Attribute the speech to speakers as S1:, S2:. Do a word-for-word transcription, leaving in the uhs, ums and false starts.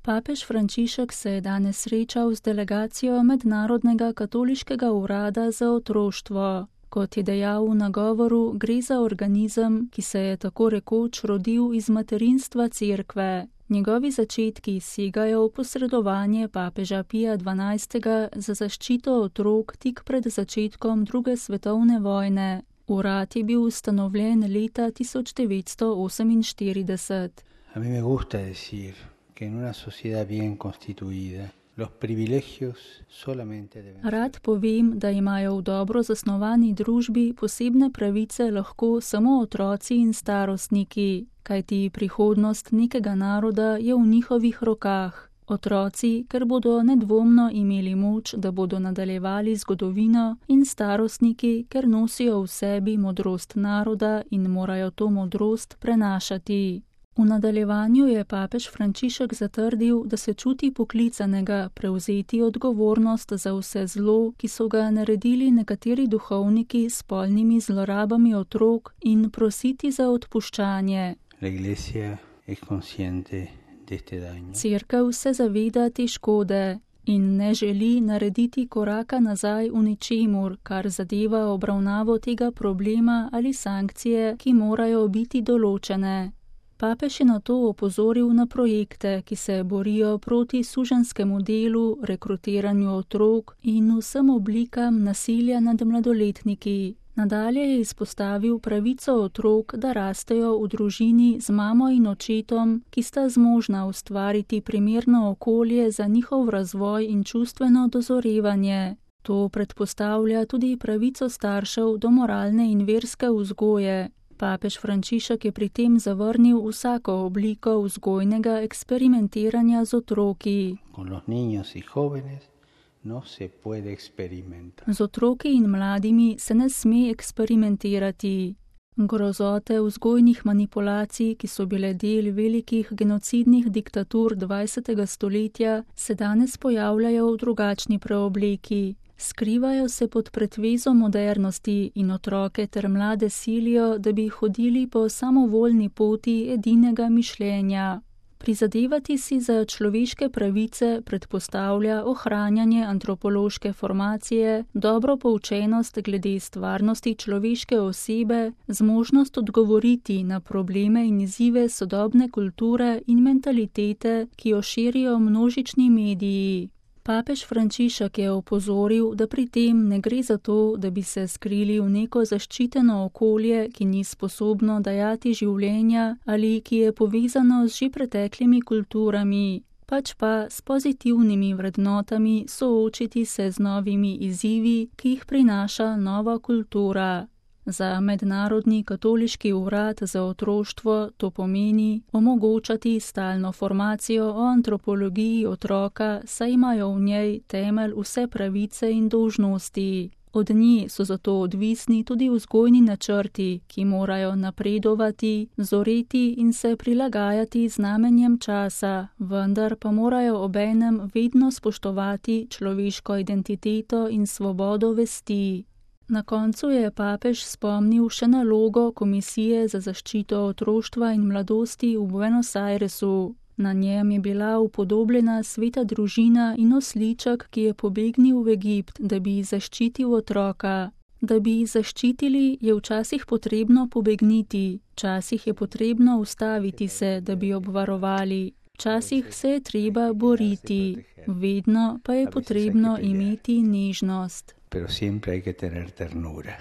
S1: Papež Frančišek se je danes srečal z delegacijo Mednarodnega katoliškega urada za otroštvo. Kot je dejal v nagovoru, gre za organizem, ki se je tako rekoč rodil iz materinstva Cerkve. Njegovi začetki segajo v posredovanje papeža Pija dvanajstega za zaščito otrok tik pred začetkom druge svetovne vojne. Urad je bil ustanovljen leta tisoč devetsto oseminštirideset.
S2: A mí me gusta decir que en una sociedad bien constituida los privilegios solamente deben ser.
S1: Rad povem, da imajo v dobro zasnovani družbi posebne pravice lahko samo otroci in starostniki, kajti prihodnost nekega naroda je v njihovih rokah. Otroci, ker bodo nedvomno imeli moč, da bodo nadaljevali zgodovino, in starostniki, ker nosijo v sebi modrost naroda in morajo to modrost prenašati. V nadaljevanju je papež Frančišek zatrdil, da se čuti poklicanega prevzeti odgovornost za vse zlo, ki so ga naredili nekateri duhovniki s spolnimi zlorabami otrok, in prositi za odpuščanje.
S2: La Iglesia es consciente de este daño.
S1: Cerkev se zaveda te škode in ne želi narediti koraka nazaj v ničemur, kar zadeva obravnavo tega problema ali sankcije, ki morajo biti določene. Papež je na to opozoril na projekte, ki se borijo proti suženjskemu delu, rekrutiranju otrok in vsem oblikam nasilja nad mladoletniki. Nadalje je izpostavil pravico otrok, da rastejo v družini z mamo in očetom, ki sta zmožna ustvariti primerno okolje za njihov razvoj in čustveno dozorevanje. To predpostavlja tudi pravico staršev do moralne in verske vzgoje. Papež Frančišek je pri tem zavrnil vsako obliko vzgojnega eksperimentiranja z otroki.
S2: Con los niños y jóvenes no se puede experimentar.
S1: Z otroki in mladimi se ne sme eksperimentirati. Grozote vzgojnih manipulacij, ki so bile del velikih genocidnih diktatur dvajsetega stoletja, se danes pojavljajo v drugačni preobleki. Skrivajo se pod pretvezo modernosti in otroke ter mlade silijo, da bi hodili po samovoljni poti edinega mišljenja. Prizadevati si za človeške pravice predpostavlja ohranjanje antropološke formacije, dobro poučenost glede stvarnosti človeške osebe, zmožnost odgovoriti na probleme in izzive sodobne kulture in mentalitete, ki jo širijo množični mediji. Papež Frančišek je opozoril, da pri tem ne gre za to, da bi se skrili v neko zaščiteno okolje, ki ni sposobno dajati življenja ali ki je povezano z že preteklimi kulturami, pač pa s pozitivnimi vrednotami soočiti se z novimi izzivi, ki jih prinaša nova kultura. Za Mednarodni katoliški urad za otroštvo to pomeni omogočati stalno formacijo o antropologiji otroka, saj imajo v njej temelj vse pravice in dolžnosti. Od nje so zato odvisni tudi vzgojni načrti, ki morajo napredovati, zoreti in se prilagajati znamenjem časa, vendar pa morajo obenem vedno spoštovati človeško identiteto in svobodo vesti. Na koncu je papež spomnil še na logo Komisije za zaščito otroštva in mladosti v Buenos Airesu. Na njem je bila upodobljena sveta družina in osliček, ki je pobegnil v Egipt, da bi zaščitil otroka. Da bi zaščitili, je včasih potrebno pobegniti, včasih je potrebno ustaviti se, da bi obvarovali. Včasih se je treba boriti, vedno pa je potrebno imeti nežnost.
S2: Pero siempre hay que tener ternura.